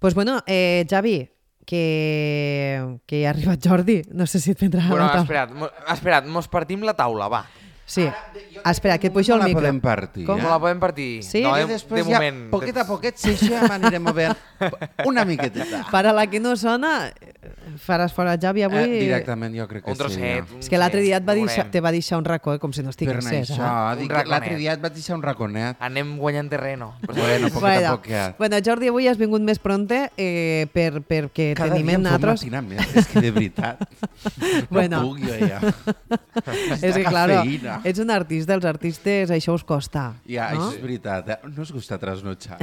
Pues bueno, Javi, que ha arribat Jordi. No sé si et prendrà la taula. Espera't, mos partim la taula, va. Sí. Espera, que et pujo el micro. No la podem partir. Com? No la podem partir. Sí? No, I després de moment. poquet a poquet, si això ja m'anirem movent una miqueteta. Per a la que no sona, faràs fora Javi avui. Directament, jo crec que Un trosset. sí. És que l'altre dia te va deixar un racó, com si no Per estiguessis. això, Un l'altre dia et vaig deixar un raconet. Anem guanyant terreno. Bueno, poquet a poquet. Bueno, Jordi, avui has vingut més pronte perquè Cada tenim dia em fa un nosaltres... matinar més, és que de veritat. Bueno. No puc jo ja. És que, claro, ets un artista, els artistes això us costa. Ja, no? això és veritat. No us gusta trasnotxar.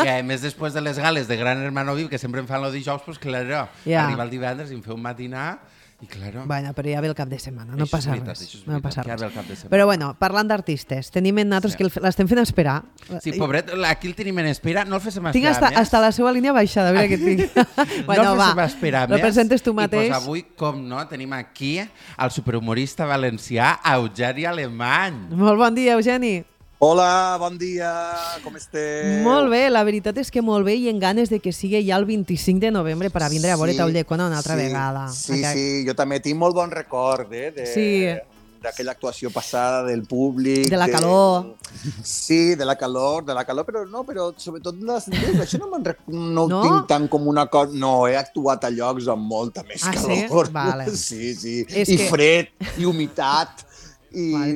I a més, després de les gales de Gran Hermano VIP, que sempre em fan el dijous, pues claro, arriba el divendres i em feu un matinar i claro... Bueno, però ja ve el cap de setmana, no passa res. No passa res. Ja ve el cap de setmana. Però bueno, parlant d'artistes, tenim en nosaltres que l'estem fent esperar. Sí, pobret, aquí el tenim en espera, no el féssim esperar tinc més. hasta la seva línia baixada, a veure què tinc. Bueno, no el féssim esperar més. Lo presentes tu mateix. I pues avui, com no, tenim aquí el superhumorista valencià Eugeni Alemany. Molt bon dia, Eugeni. Hola, bon dia, com esteu? Molt bé, la veritat és que molt bé i en ganes de que sigui ja el 25 de novembre per a vindre a veure Taullecona una altra vegada. Sí, jo també tinc molt bon record d'aquella actuació passada del públic. De la calor. Sí, de la calor, però sobretot això no ho tinc tant com una cosa... No, he actuat a llocs amb molta més calor. Sí? Vale. Sí. I fred, i humitat. I n'hi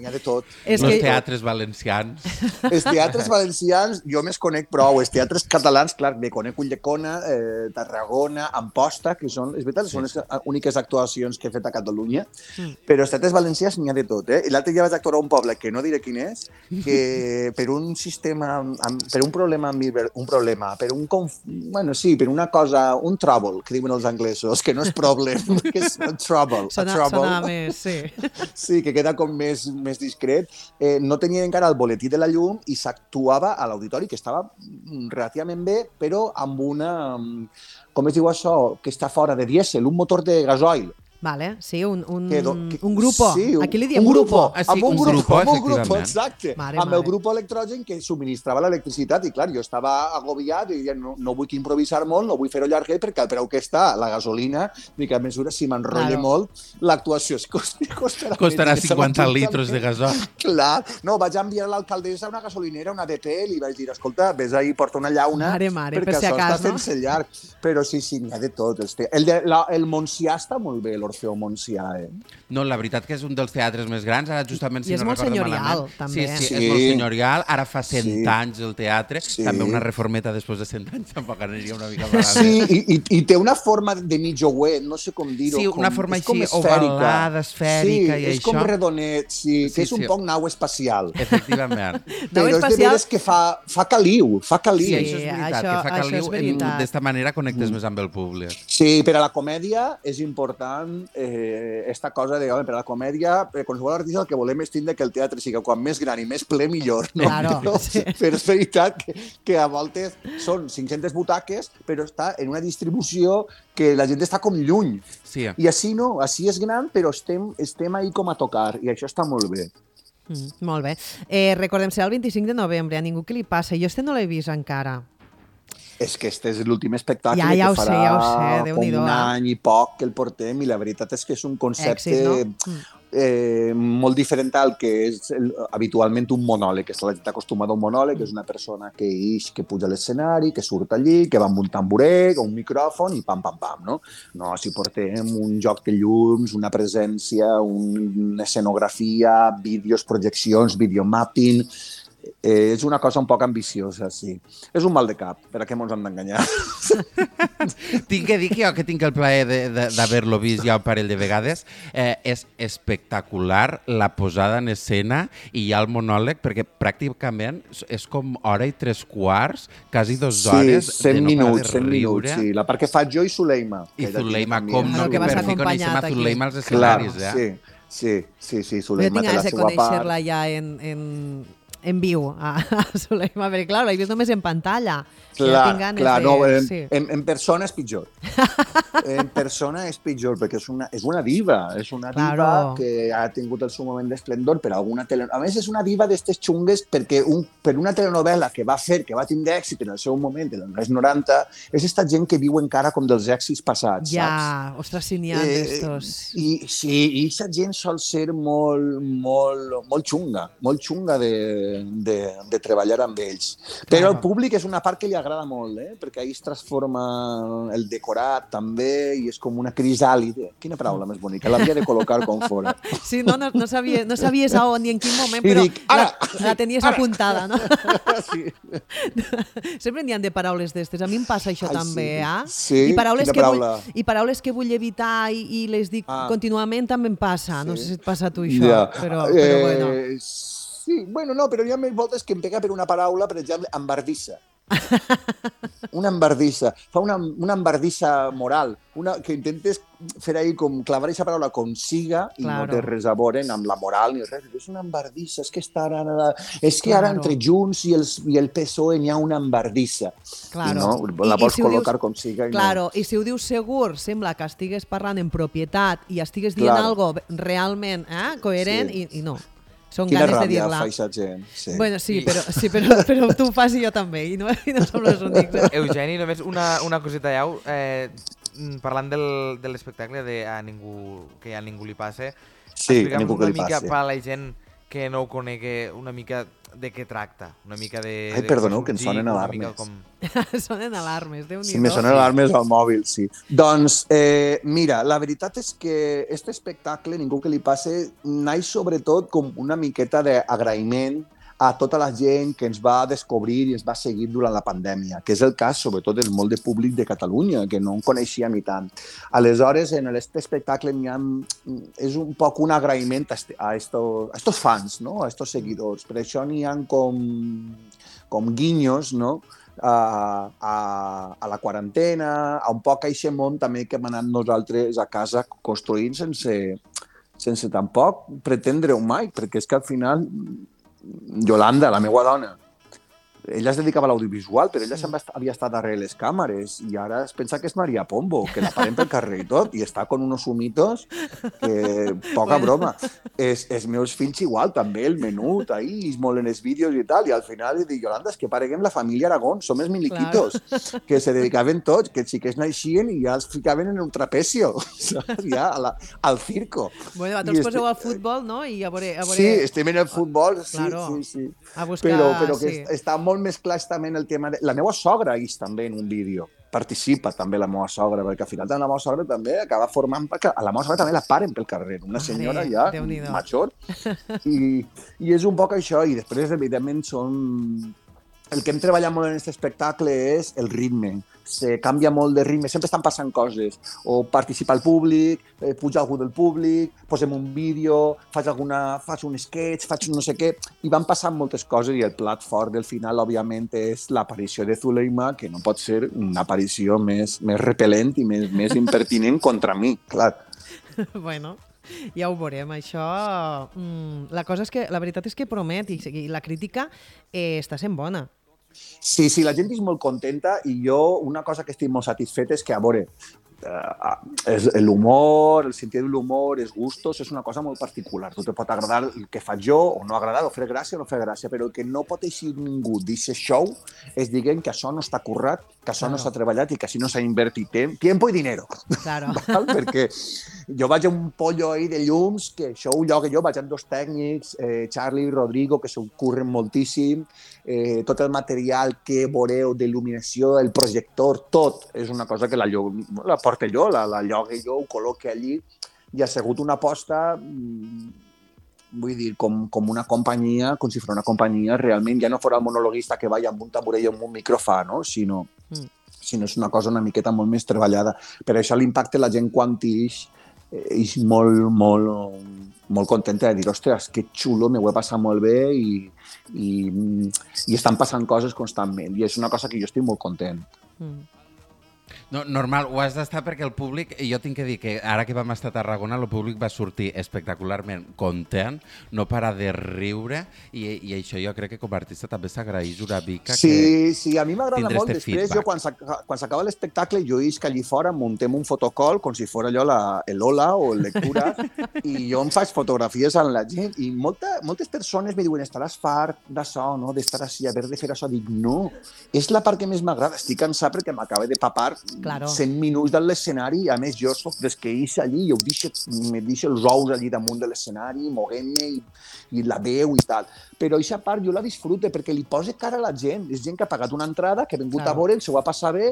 ha de tot. Els teatres valencians. Els teatres valencians, jo més conec prou. Els teatres catalans, clar, me conec Ulldecona, Tarragona, Amposta, que són, és veritat, són les úniques actuacions que he fet a Catalunya, però els teatres valencians n'hi ha de tot. I l'altre dia vaig actuar a un poble, que no diré quin és, que per un sistema, per un problema, per una cosa, un trouble, que diuen els anglesos, que no és problem, que és trouble. Sona més, sí. Sí, que queda com més discret, no tenia encara el boletí de la llum i s'actuava a l'auditori, que estava relativament bé, però amb una, com es diu això, que està fora de dièsel, un motor de gasoil. Vale, sí, un grupo. Sí, aquí li diem grupo. Amb un grupo, exacte. Mare. El grupo electrogen que subministrava l'electricitat i clar, jo estava agobiat i no vull improvisar molt, no vull fer-ho llarguet perquè al preu que està la gasolina, dic, a mesura si m'enrotle molt, l'actuació costarà 50 litros de gasoil. Clar, no, vaig enviar a l'alcaldessa una gasolinera, una DP, i li vaig dir, escolta, vés ahí, porta una llauna, mare, perquè si això acas, està fent-se llarg. Però sí, n'hi ha de tot. El Montsià està molt bé, l'Orfeó Montsià, No, la veritat que és un dels teatres més grans, ara justament si no recordo malament. I és molt senyorial, també. Sí, és molt senyorial, ara fa 100 anys el teatre, també una reformeta després de 100 anys tampoc aniria una mica malament. Sí, i té una forma de mitjouet, no sé com dir-ho. Sí, una forma així ovalada, esfèrica i això. Sí, és com redonet, que és un poc nau espacial. Efectivament. Però és de veres que fa caliu, Sí, això és veritat, que fa caliu, d'esta manera connectes més amb el públic. Sí, per a la comèdia és important esta cosa de, per a la comèdia, qualsevol artista el que volem és tindre que el teatre sigui quan més gran i més ple millor, no? Claro, sí. Però és veritat que a voltes són 500 butaques, però està en una distribució que la gent està com lluny. Sí. I així no, així és gran, però estem ahí com a tocar, i això està molt bé. Molt bé. Recordem, serà el 25 de novembre, a ningú que li passa. Jo no l'he vist encara. És que este és l'últim espectacle ja que farà sé, com un any i poc que el portem, i la veritat és que és un concepte molt diferent al que és habitualment un monòleg, que la gent acostumada a un monòleg, que és una persona que puja a l'escenari, que surt allí, que va amb un tamboret o un micròfon i pam, pam, pam, no? No, si portem un joc de llums, una presència, una escenografia, vídeos, projeccions, videomapping... és una cosa un poc ambiciosa, sí. És un mal de cap, per a què mos hem d'enganyar? Tinc que dir que jo que tinc el plaer d'haver-lo vist ja un parell de vegades, és espectacular la posada en escena i ja el monòleg, perquè pràcticament és com hora i 3/4, quasi 2 hores de no parar de riure. Sí, la part que faig jo i Zuleima. I Zuleima, com no, que per fi coneixem a Zuleima als escenaris, Sí, Zuleima té la seva part. Jo tinc ganes de conèixer-la ja en viu a Soleima, perquè clar, l'he vist només en pantalla. Clar, no, en persona és pitjor. En persona és pitjor, perquè és una diva. És una diva que ha tingut el seu moment d'esplendor per alguna telenovela. A més, és una diva d'estes xungues perquè per una telenovela que va tindre èxit en el seu moment, en els 90, és esta gent que viu encara com dels èxits passats, saps? Ja, ostres, si n'hi ha d'estos. I aquesta gent sol ser molt xunga de treballar amb ells. Però el públic és una part que li agrada molt, perquè ahir es transforma el decorat també i és com una crisàlide. Quina paraula més bonica, l'havia de col·locar com fora. Sí, no sabies a on ni en quin moment, però la tenies apuntada, no? Sí. Sempre n'hi ha de paraules d'estes. A mi em passa això també, Sí, I paraules que vull evitar i les dic contínuament també em passa. No sé si et passa a tu això, però bueno. Sí, bueno, no, però hi ha més voltes que em pega per una paraula, per exemple, embardissa. Una embardissa. Fa una embardissa moral, que intentes fer ahí com clavar aquesta paraula com siga i no té res a veure amb la moral ni res. És una embardissa, és que ara entre Junts i el PSOE n'hi ha una embardissa. I no, la vols col·locar com siga. I si ho dius segur, sembla que estigues parlant en propietat i estigues dient algo realment coherent i no. Són Quina ganes de ràbia dir-la. fa aquesta gent. Sí. Bueno, però tu ho fas i jo també, i no som els únics. Eugeni, només una coseta llau, parlant de l'espectacle de que a ningú li passe, a ningú que li mica passi. per a la gent que no ho conegui, una mica de què tracta, una mica de... Ai, perdoneu, que em sonen alarmes. Sonen alarmes, Déu-n'hi-do. Sí, me sonen alarmes al mòbil, sí. Doncs, mira, la veritat és que aquest espectacle, ningú que li passe, naix sobretot com una miqueta d'agraïment a tota la gent que ens va descobrir i ens va seguir durant la pandèmia, que és el cas, sobretot, del molt de públic de Catalunya, que no en coneixia ni tant. Aleshores, en aquest espectacle és un poc un agraïment a estos fans, no? A estos seguidors. Per això n'hi ha com guinyos, no? A la quarantena, a un poc a aquest món també que hem anat nosaltres a casa construint sense tampoc pretendre-ho mai, perquè és que al final Yolanda, la meva dona, ella es dedicava a l'audiovisual, però ella sempre havia estat darrere les càmeres i ara es pensa que és Maria Pombo, que la parem pel carrer i tot, i està con unos humitos que poca broma. Els meus fills igual, també, el menut, ahí, es molen els vídeos i tal, i al final dic, Yolanda, és que pareguem la família Aragón, som els miliquitos, que se dedicaven tots, que els xiquets naixien i ja els ficaven en un trapecio, saps? Ja, al circo. Bueno, vosaltres poseu al futbol, no? I a veure... Sí, estem en el futbol, sí. A buscar... Però que està molt més clar també en el tema de... La meva sogra és també en un vídeo. Participa també la meva sogra, perquè al final la meva sogra també acaba formant... Perquè a la meva sogra també la paren pel carrer, una senyora ja major. I és un poc això, i després, evidentment, el que hem treballat molt en aquest espectacle és el ritme. Se canvia molt de ritme, sempre estan passant coses. O participa el públic, puja algú del públic, posem un vídeo, faig un sketch, faig un no sé què, i van passant moltes coses i el plat fort del final, òbviament, és l'aparició de Zuleima, que no pot ser una aparició més repel·lent i més impertinent contra mi, clar. Bueno, ja ho veurem, això... La veritat és que promet i la crítica està sent bona. Sí, la gent és molt contenta i jo una cosa que estic molt satisfet és que, a veure, l'humor, el sentit de l'humor, els gustos, és una cosa molt particular. Tu te pot agradar el que faig jo o no agradar, o fer gràcia o no fer gràcia, però el que no pot eixir ningú d'aquest show és dient que això no està currat, que això no s'ha treballat i que així no s'ha invertit tiempo i dinero. Claro. Perquè jo vaig a un pollo ahí de llums, que això ho llogue jo, vaig amb dos tècnics, Charlie i Rodrigo, que s'ho curren moltíssim, tot el material que veureu d'il·luminació, el projector, tot és una cosa que la porto jo, la llogue jo, ho col·loque allí, i ha sigut una aposta, vull dir, com una companyia, com si fos una companyia, realment ja no fos el monologuista que va amb un tamborell i amb un microfà, no? Sinó és una cosa una miqueta molt més treballada. Per això l'impacte la gent quan és molt contenta de dir, ostres, que xulo, m'ho he passat molt bé i estan passant coses constantment. I és una cosa que jo estic molt content. No, normal, ho has d'estar perquè el públic, jo tinc que dir que ara que vam estar a Tarragona, el públic va sortir espectacularment content, no parar de riure, i això jo crec que com a artista també s'agraeix una mica que Sí, a mi m'agrada molt. Després, jo, quan s'acaba l'espectacle, jo isc allí fora, muntem un fotocall, com si fos allò l'Ola o el Lectura, i jo em faig fotografies amb la gent, i moltes persones me diuen, estaràs fart d'això, no? D'estar així, haver de fer això. Dic, no, és la part que més m'agrada. Estic cansat perquè m'acaba de papar 100 minuts de l'escenari, a més jo soc des que ix allí, jo me deixo els ous allí damunt de l'escenari, moguent-me i la veu i tal. Però aquesta part jo la disfrute perquè li posa cara a la gent. És gent que ha pagat una entrada, que ha vingut a veure, s'ho va passar bé,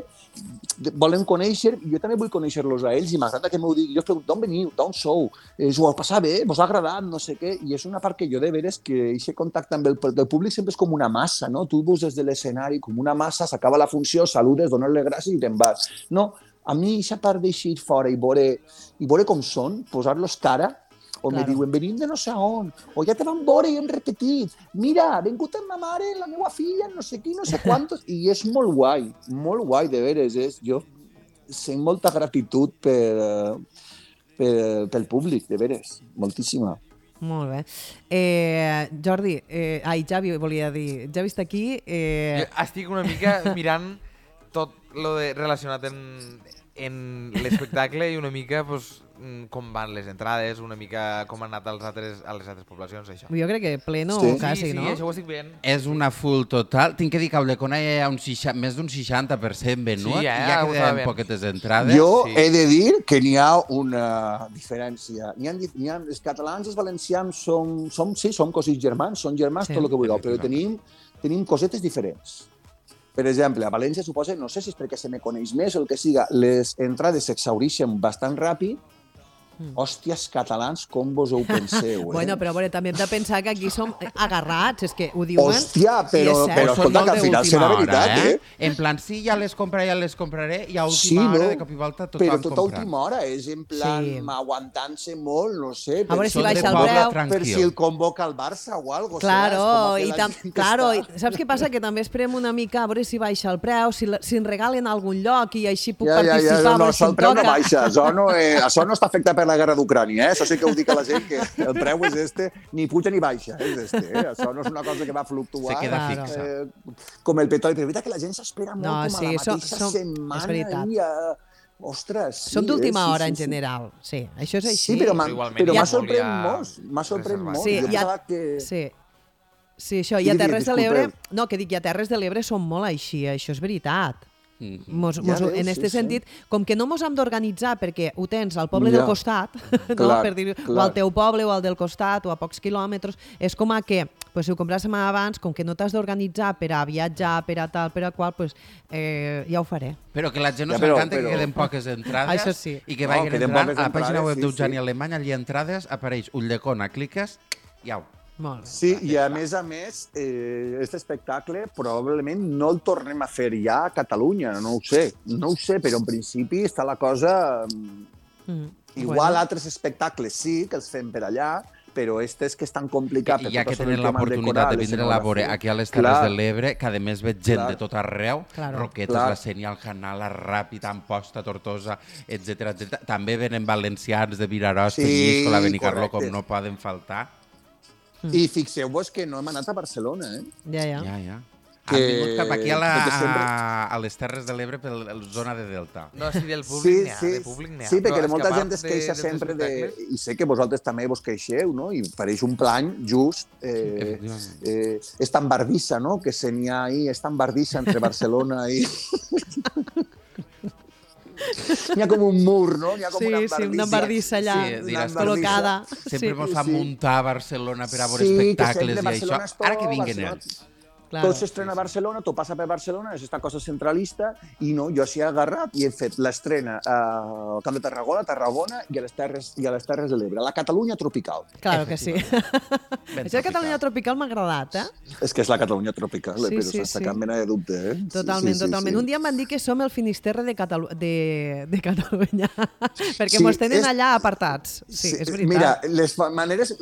volen conèixer, i jo també vull conèixer-los a ells, i m'agrada que m'ho digui. Jo els pregunto, d'on veniu, d'on sou? S'ho va passar bé, vos ha agradat, no sé què, i és una part que jo de veres que aquest contacte amb el públic sempre és com una massa, no? Tu veus des de l'escenari com una massa, s'acaba la funció, saludes, dones-li gràcies i te'n vas. No, a mi aquesta part d'eixir fora i veure com són, posar-los cara, o me diuen, venim de no sé on, o ja te van veure i hem repetit, mira, ha vingut amb ma mare, la meva filla, no sé qui, no sé quantos, i és molt guai, de veres, jo sent molta gratitud pel públic, de veres, moltíssima. Molt bé. Jordi, Javi volia dir, ja vist aquí... Jo estic una mica mirant tot lo relacionat en l'espectacle i una mica pues, com van les entrades, una mica com han anat a les altres poblacions, això. Jo crec que pleno quasi, no? Sí, això ho estic veient. És una full total. Tinc que dir que a Ulldecona hi ha més d'un 60% venut, i ja queden poquetes entrades. Jo he de dir que n'hi ha una diferència. Els catalans i els valencians som cosins germans, són germans, tot el que vulgueu, però tenim cosetes diferents. Per exemple, a València, suposa, no sé si és perquè se me coneix més o el que siga, les entrades s'exhaureixen bastant ràpid. Hòsties, catalans, com vos ho penseu, Bueno, però també hem de pensar que aquí som agarrats, és que ho diuen... Hòstia, però escolta, que al final serà veritat, En plan, sí, ja les compraré, i a última hora, de cop i volta, tot però tota última hora, és en plan aguantant-se molt, no sé... A veure si baixa el preu. Per si el convoca el Barça o algo. Claro, saps què passa? Que també esperem una mica a veure si baixa el preu, si ens regalen a algun lloc i així puc participar. No, el preu no baixa, això no està afectat per la guerra d'Ucrània, Això sí que ho dic a la gent, que el preu és ni puja ni baixa, és Això no és una cosa que va fluctuar. Se queda fixa. Com el petroli, però és veritat que la gent s'espera molt com a la mateixa setmana. És veritat. Ostres, sí. Són d'última hora, en general. Sí, això és així. Sí, però m'ha sorprès molt. M'ha sorprès molt. Jo pensava que... Sí, això. I a Terres de l'Ebre... No, que dic, i a Terres de l'Ebre són molt així, això és veritat. En aquest sentit, com que no mos hem d'organitzar perquè ho tens al poble del costat, per dir, o al teu poble o al del costat o a pocs quilòmetres, és com que si ho compràssim abans, com que no t'has d'organitzar per a viatjar, per a tal, per a qual, ja ho faré. Però que la gent no s'encanta que queden poques entrades i que vagin entrant a la pàgina web d'Eugeni Alemany, allí entrades, apareix Ulldecona, cliques i au. Sí, i a més, aquest espectacle probablement no el tornem a fer ja a Catalunya, no ho sé, però en principi està la cosa... Igual altres espectacles sí, que els fem per allà, però és que és tan complicat. I ja que tenen l'oportunitat de vindre a veure aquí a les Terres de l'Ebre, que a més veig gent de tot arreu, Roquetes, la Sénia, el Canal, la Ràpid, Amposta, Tortosa, etc. També venen valencians de Vinaròs, Penyisco, la Benicarló, com no poden faltar. I fixeu-vos que no hem anat a Barcelona, Ja. Han vingut cap aquí a les Terres de l'Ebre per la zona de Delta. No, sí, del públic n'hi ha. Sí, perquè molta gent es queixa sempre i sé que vosaltres també vos queixeu, no? I pareix un plany just és tan bardissa, no? Que se n'hi ha ahí, és tan bardissa entre Barcelona i... N'hi ha com un mur, no? N'hi ha com una bardissa allà, col·locada. Sempre mos fa muntar a Barcelona per a veure espectacles i això. Ara que vinguen ells. Tot s'estrena a Barcelona, tot passa per Barcelona, és aquesta cosa centralista, i no, jo s'hi he agarrat i he fet l'estrena al Camp de Tarragona i a les Terres de l'Ebre, a la Catalunya tropical. Claro que sí. Això de Catalunya tropical m'ha agradat, És que és la Catalunya tropical, però sense cap mena de dubte, Totalment. Un dia em van dir que som el Finisterre de Catalunya, perquè mos tenen allà apartats. Sí, és veritat. Mira,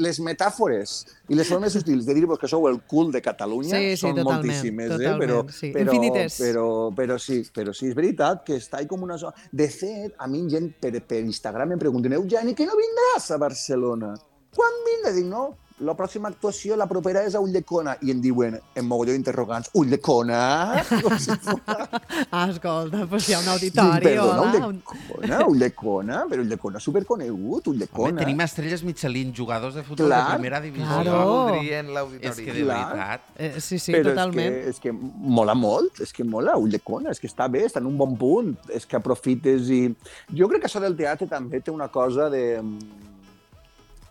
les metàfores I les formes sutils de dir-vos que sou el cul de Catalunya són moltíssimes, infinites. Però sí, és veritat que està com una zona... De fet, a mi gent per Instagram em pregunten, Eugeni, que no vindràs a Barcelona? Quan vindràs? Dic, no, la pròxima actuació, la propera és a Ulldecona. I em diuen, en mogolló d'interrogants, Ulldecona? Escolta, doncs hi ha un auditori. Perdona, Ulldecona? Però Ulldecona és superconegut, Ulldecona. Home, tenim estrelles Michelin, jugadors de futbol de primera divisió. Claro. Voldrien l'auditori. És que de veritat... Sí, però totalment. És que mola molt, és que mola Ulldecona, és que està bé, està en un bon punt, és que aprofites i... Jo crec que això del teatre també té una cosa de...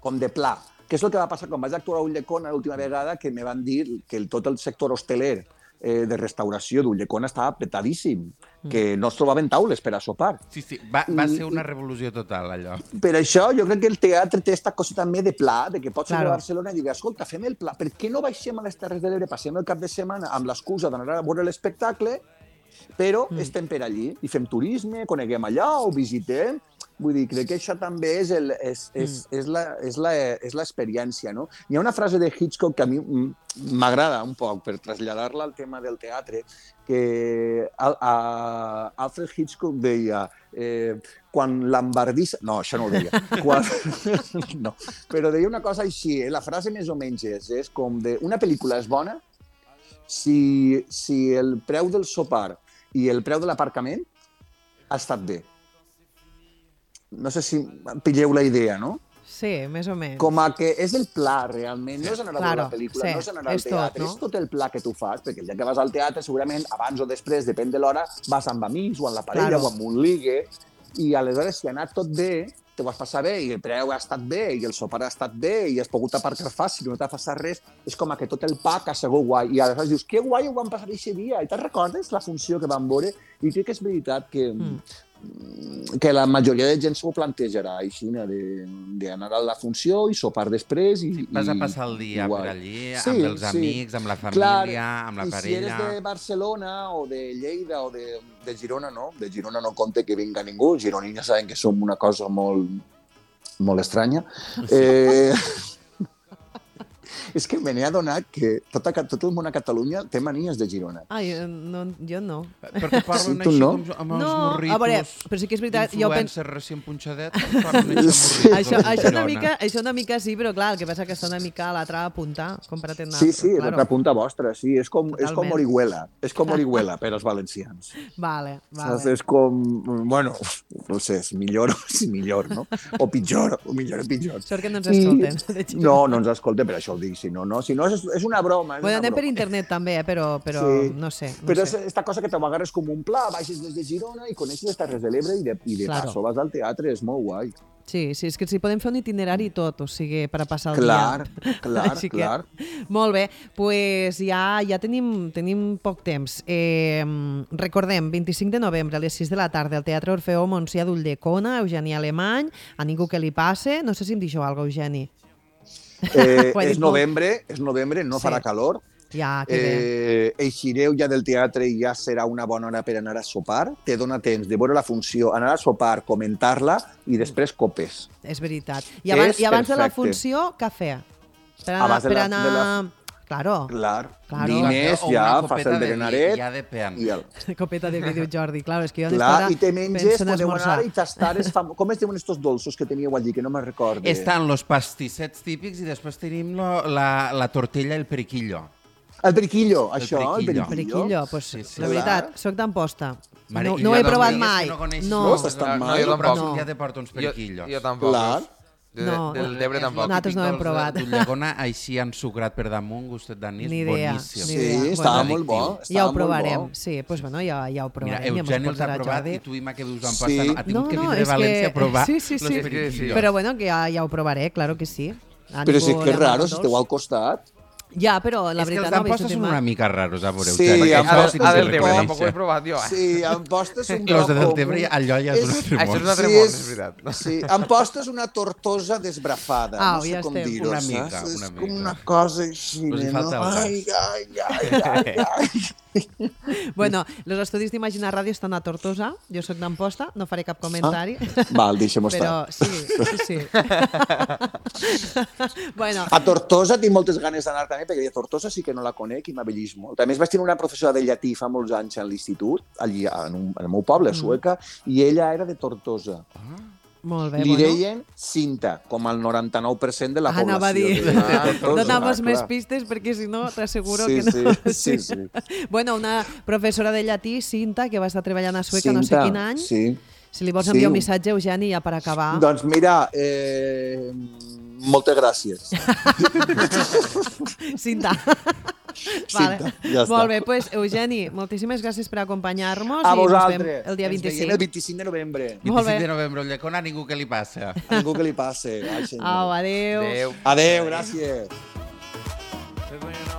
com de pla. Que és el que va passar quan vaig actuar a Ulldecona l'última vegada, que me van dir que tot el sector hosteler de restauració d'Ulldecona estava petadíssim, que no es trobaven taules per a sopar. Sí, va ser una revolució total, allò. Per això jo crec que el teatre té aquesta cosa també de pla, de que pots anar a Barcelona i dir, escolta, fem el pla, per què no baixem a les Terres de l'Ebre, passem el cap de setmana amb l'excusa d'anar a veure l'espectacle, però estem per allí i fem turisme, coneguem allà, ho visitem. Vull dir, crec que això també és l'experiència, no? Hi ha una frase de Hitchcock que a mi m'agrada un poc per traslladar-la al tema del teatre, que Alfred Hitchcock deia quan l'embardissa... No, això no ho deia. No, però deia una cosa així, la frase més o menys és com de... Una pel·lícula és bona si el preu del sopar i el preu de l'aparcament ha estat bé. No sé si pilleu la idea, no? Sí, més o menys. Com a que és el pla, realment. No és anar a veure la pel·lícula, no és anar al teatre. És tot el pla que tu fas, perquè el dia que vas al teatre, segurament, abans o després, depèn de l'hora, vas amb amics, o amb la parella, o amb un ligue, i aleshores, si ha anat tot bé, te ho vas passar bé, i el preu ha estat bé, i el sopar ha estat bé, i has pogut aparcar fàcil, i no t'ha passat res, és com que tot el pack ha sigut guai. I aleshores dius, que guai ho vam passar aquest dia, i te'n recordes la funció que vam veure? I crec que és veritat que la majoria de gent s'ho plantejarà així, d'anar a la funció i sopar després. Vas a passar el dia per allí, amb els amics, amb la família, amb la parella... I si eres de Barcelona o de Lleida o de Girona, no. De Girona no compte que vinga ningú. Gironins ja saben que som una cosa molt estranya. És que me n'he adonat que tot el món a Catalunya té manies de Girona. Ai, no, jo no. Perquè parlen així amb els morritos. A veure, però sí que és veritat... Influencer recient punxadet, parlen així amb morritos. Això una mica sí, però clar, el que passa que està una mica a l'altra punta, com per atendre. Sí, l'altra punta vostra, sí. És com Orihuela. És com Orihuela per als valencians. Vale. És com... Bueno, no sé, és millor, no? O pitjor, o millor o pitjor. Sort que no ens escolten. No ens escolten, per això ho dic. Si no és una broma. Bueno, anem per internet també, però no sé. Però és esta cosa que te agarres com un pla, baixes des de Girona i coneixes les Terres de l'Ebre i de passo vas al teatre, és molt guai. Sí, és que si podem fer un itinerari tot, o sigui, per a passar el dia. Clar. Molt bé, doncs ja tenim poc temps. Recordem, 25 de novembre a les 6 de la tarda al Teatre Orfeó Montsià d'Ulldecona, Eugeni Alemany, a ningú que li passe. No sé si em deixeu alguna cosa, Eugeni. És novembre, no farà calor. Ja, que bé. Eixireu ja del teatre i ja serà una bona hora per anar a sopar. Te dona temps de veure la funció, anar a sopar, comentar-la i després copes. És veritat. I abans de la funció, cafè. Per anar... Claro. Vines, ja fas el berenaret. Ja depèn. Copeta de vídeo, Jordi. Clar, és que jo i te menges, podeu anar i tastar... Com es diuen estos dolços que teníeu allí, que no me'n recordo? Estan los pastissets típics i després tenim la tortilla i el periquillo. El periquillo, això, el periquillo. Pues, la veritat, soc d'Amposta. No ho he provat mai. No, estàs tan mal. Jo tampoc. Ja te porto uns periquillos. Jo tampoc. Del Debre tampoc. Nosaltres no hem provat. D'Ulldecona així ensucrat per damunt, gustet d'anís, boníssim. Sí, estava molt bo. Ja ho provarem. Sí, doncs bueno, ja ho provarem. Mira, Eugeni els ha provat i tu, Ima, que vius a Amposta, ha tingut que vindre a València a provar los periquillos. Però bueno, que ja ho provaré, claro que sí. Però sí que és raro, si esteu al costat. Ja, però la veritat no ho he vist. És que els d'Amposta són una mica raros, a veure. Sí, a del Debre tampoc ho he provat jo. Sí, Amposta és un lloc... Los de del Debre, allò ja és un altre món. Això és un altre món, és veritat. Sí, Amposta és una tortosa desbrafada. No sé com dir-ho. Una mica. És com una cosa així, no? Ai. Bueno, els estudis d'Imagina Ràdio estan a Tortosa, jo sóc d'Amposta, no faré cap comentari. Val, deixem-ho però estar. sí. Bueno. A Tortosa tinc moltes ganes d'anar també, perquè a Tortosa sí que no la conec i m'abellís molt. També vaig tenir una professora de llatí fa molts anys a l'institut, allí en el meu poble, a Sueca, i ella era de Tortosa. Molt bé, Li deien Cinta, com el 99% de la població. Anava a dir, Tortosa. dona'm més pistes perquè si no t'asseguro que no. Sí. Bueno, una professora de llatí, Cinta, que va estar treballant a Sueca no sé quin any. Sí. Si li vols enviar un missatge, Eugeni, ja per acabar. Doncs mira, moltes gràcies. Cinta. Vale. Ja està. Molt bé, doncs, Eugeni, moltíssimes gràcies per acompanyar-nos A i ens vosaltres. veiem el dia 25. Ens veiem el 25 de novembre. Molt bé. 25 de novembre, el llacón a ningú que li passa. A ningú que li passe. Ai, senyor. Au, adéu. Adéu. Adéu, gràcies. Adéu.